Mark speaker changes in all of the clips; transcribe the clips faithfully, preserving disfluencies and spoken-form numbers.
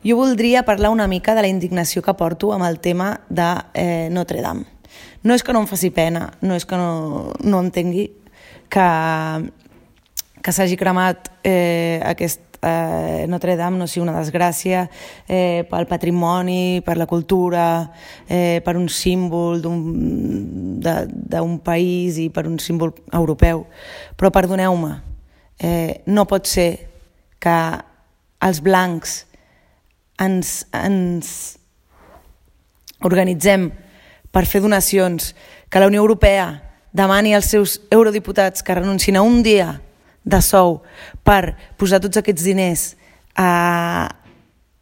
Speaker 1: Jo voldria parlar una mica de la indignació que porto amb el tema de eh, Notre Dame. No és que no em faci pena, no és que no, no entengui que, que s'hagi cremat eh, aquest eh, Notre Dame no sigui una desgràcia eh, pel patrimoni, per la cultura, eh, per un símbol d'un país i per un símbol europeu. Però perdoneu-me, eh, no pot ser que els blancs ens, ens organitzem per fer donacions, que la Unió Europea demani als seus eurodiputats que renuncin a un dia de sou per posar tots aquests diners a,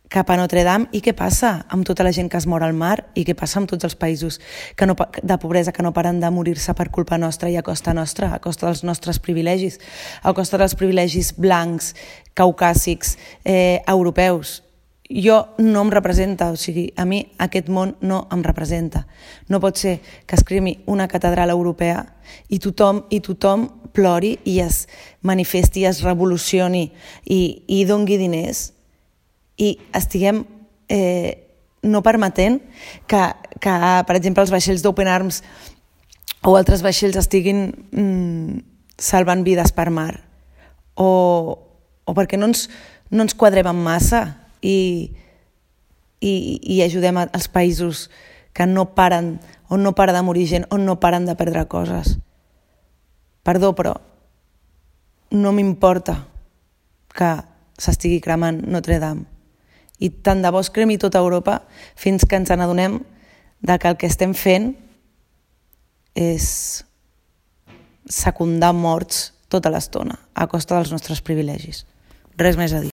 Speaker 1: cap a Notre Dame. I què passa amb tota la gent que es mor al mar? I què passa amb tots els països que no, de pobresa que no paren de morir-se per culpa nostra i a costa nostra, a costa dels nostres privilegis, a costa dels privilegis blancs, caucàsics, eh, europeus? Jo no em representa, o sigui, a mi aquest món no em representa. No pot ser que es cremi una catedral europea i tothom, i tothom plori i es manifesti, i es revolucioni i, i dongui diners i estiguem eh, no permetent que, que, per exemple, els vaixells d'Open Arms o altres vaixells estiguin mm, salvant vides per mar. O, o perquè no ens, no ens quadrem en massa i, i, i ajudem als països que no paren, on no para de morir gent, on no paren de perdre coses. Perdó, però no m'importa que s'estigui cremant Notre Dame. I tant de bo es cremi tota Europa fins que ens n'adonem de que el que estem fent és secundar morts tota l'estona a costa dels nostres privilegis. Res més a dir.